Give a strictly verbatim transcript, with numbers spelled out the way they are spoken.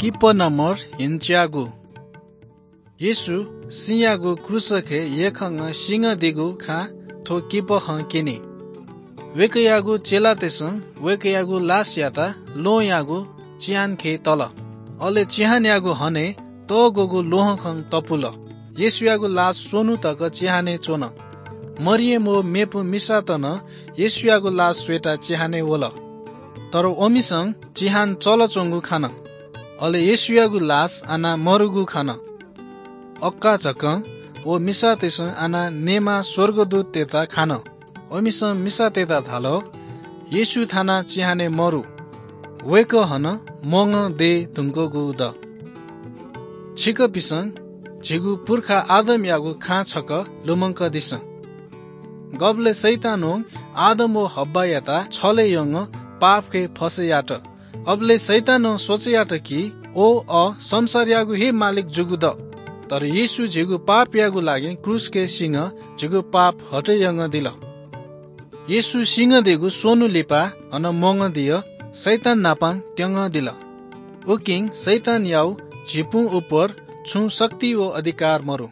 किपः नम्बर हिन्च्यागु। येशू सिंयागु क्रूसखय् यख्खंगः सिंगदीगु खँ थ्व किपः हं क्यनी। वय्कःयागु चेलातय्सं वय्कःयागु लासयात ल्वहंयागु चिहानखय् तल। अले चिहानयागु हनय् तःग्वःगु ल्वहंखं तपुल। येशूयागु लास स्वन्हु तक चिहानय् च्वन। मरियम व मेपिं मिसात नं येशूयागु लास स्वयेत चिहानय् वल। तर वमिसं चिहान चलच्वंगु खन। अले येशूयागु लास आनाः मरुगु खन। अक्का झक्कं व मिसातय्सं आनाः नेमा स्वर्गदूततय्त खान। वमिसं मिसातय्त धाल, "येशू थानाः चिहानय् मरु, वय्कः हनं म्वंगं दये धुंकूगु द।" छिकपिसं झीगु पुर्खा आदमयागु खँ छकः लुमंकादिसँ। गबलय् शैतानं आदम व हव्वायात छलय् यंगः पापखय् फसय् यात। अबलय् शैतानं सोचे यात कि व अ संसारयागु हे मालिक जूगु द। तर येशू झीगु पापयागु लागि क्रूसखय् सिंगः झीगु पाप हटे यंगदिल। येशू सिंगदीगु स्वन्हु लिपा अन म्वंगदिया शैतान नाप त्यंगदिल। उकिं शैतानयागु झिपुं उपर छुं शक्ति व अधिकार मरु।